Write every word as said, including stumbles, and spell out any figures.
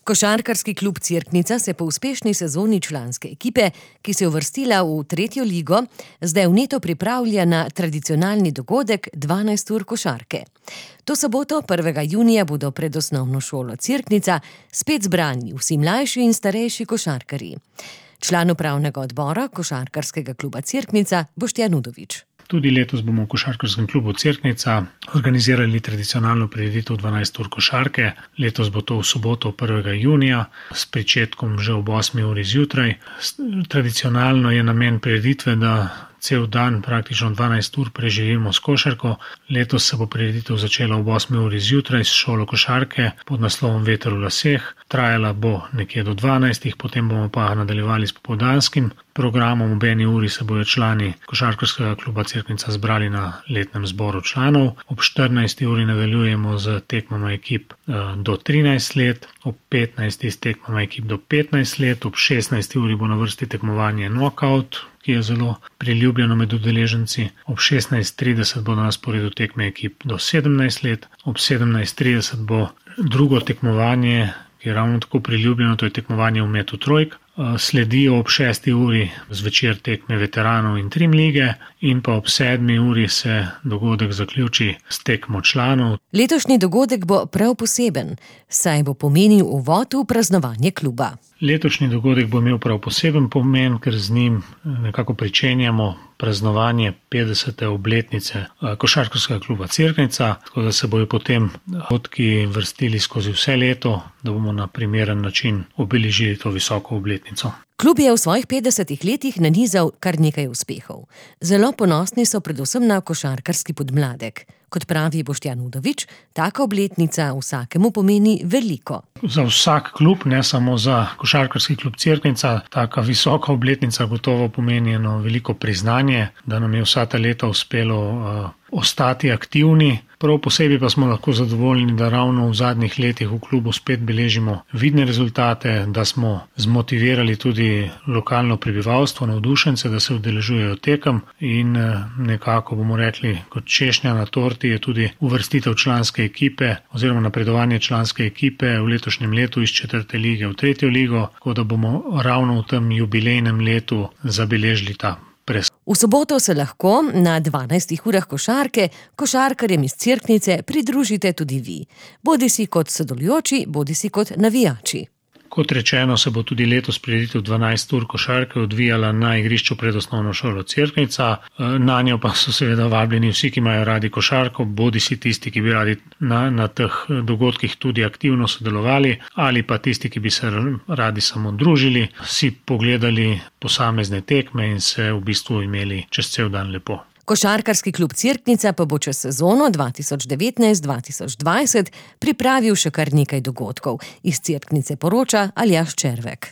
Košarkarski klub Cerknica se po uspešni sezoni članske ekipe, ki se je uvrstila v tretjo ligo, zdaj vneto pripravlja na tradicionalni dogodek dvanajst ur košarke. To soboto, prvega junija, bodo pred osnovno šolo Cerknica spet zbrani vsi mlajši in starejši košarkarji. Član upravnega odbora Košarkarskega kluba Cerknica Boštjan Udovič. Tudi letos bomo v Košarkarskem klubu Cerknica organizirali tradicionalno prireditev dvanajst ur košarke. Letos bo to v soboto prvega junija s pričetkom že ob osmi uri zjutraj. Tradicionalno je namen prireditve, da cel dan, praktično dvanajst ur, preživimo s košarko. Letos se bo prireditev začela ob osmi uri zjutraj s šolo košarke pod naslovom Veter v laseh. Trajala bo nekje do dvanajstih, potem bomo pa nadaljevali s popoldanskim programom. Ob eni uri se bodo člani Košarkarskega kluba Cerknica zbrali na letnem zboru članov. Ob štirinajsti uri nadaljujemo z tekmama ekip do trinajst let, ob petnajsti s tekmama ekip do petnajst let, ob šestnajsti uri bo na vrsti tekmovanje knockout, ki je zelo priljubljeno med udeleženci. Ob šestnajst trideset bo na sporedu tekme ekip do sedemnajst let, ob sedemnajst trideset bo drugo tekmovanje, ki je ravno tako priljubljeno, to je tekmovanje v metu trojk. Sledijo ob šesti uri zvečer tekme veteranov in trim lige in pa ob sedmi uri se dogodek zaključi s tekmo članov. Letošnji dogodek bo prav poseben, saj bo pomenil uvod v praznovanje kluba. Letošnji dogodek bo imel prav poseben pomen, ker z njim nekako pričenjamo praznovanje petdesete obletnice Košarkarskega kluba Cerknica, tako da se bojo potem dogodki vrstili skozi vse leto, da bomo na primeren način obeležili to visoko obletnico. Klub je v svojih petdesetih letih nanizal kar nekaj uspehov. Zelo ponosni so predvsem na košarkarski podmladek. Kot pravi Boštjan Udovič, taka obletnica vsakemu pomeni veliko. Za vsak klub, ne samo za Košarkarski klub Cerknica, taka visoka obletnica gotovo pomeni eno veliko priznanje, da nam je vsa ta leta uspelo uh, ostati aktivni. Prav posebej pa smo lahko zadovoljni, da ravno v zadnjih letih v klubu spet beležimo vidne rezultate, da smo zmotivirali tudi lokalno prebivalstvo, navdušence, da se udeležujejo tekem in nekako bomo rekli, kot češnja na torti je tudi uvrstitev članske ekipe oziroma napredovanje članske ekipe v letošnjem letu iz četrte lige v tretjo ligo, tako da bomo ravno v tem jubilejnem letu zabeležili ta pres. V soboto se lahko na dvanajstih urah košarke košarkarjem iz Cerknice pridružite tudi vi, bodisi kot sodelujoči, bodisi kot navijači. Kot rečeno, se bo tudi letos prireditev dvanajst ur košarke odvijala na igrišču pred osnovno šolo Cerknica. Na njo pa so seveda vabljeni vsi, ki imajo radi košarko, bodisi tisti, ki bi radi na, na teh dogodkih tudi aktivno sodelovali, ali pa tisti, ki bi se radi samo družili, si pogledali posamezne tekme in se v bistvu imeli čez cel dan lepo. Košarkarski klub Cerknica pa bo čez sezono dva tisoč devetnajst dva tisoč dvajset pripravil še kar nekaj dogodkov. Iz Cerknice poroča Aljaž Červek.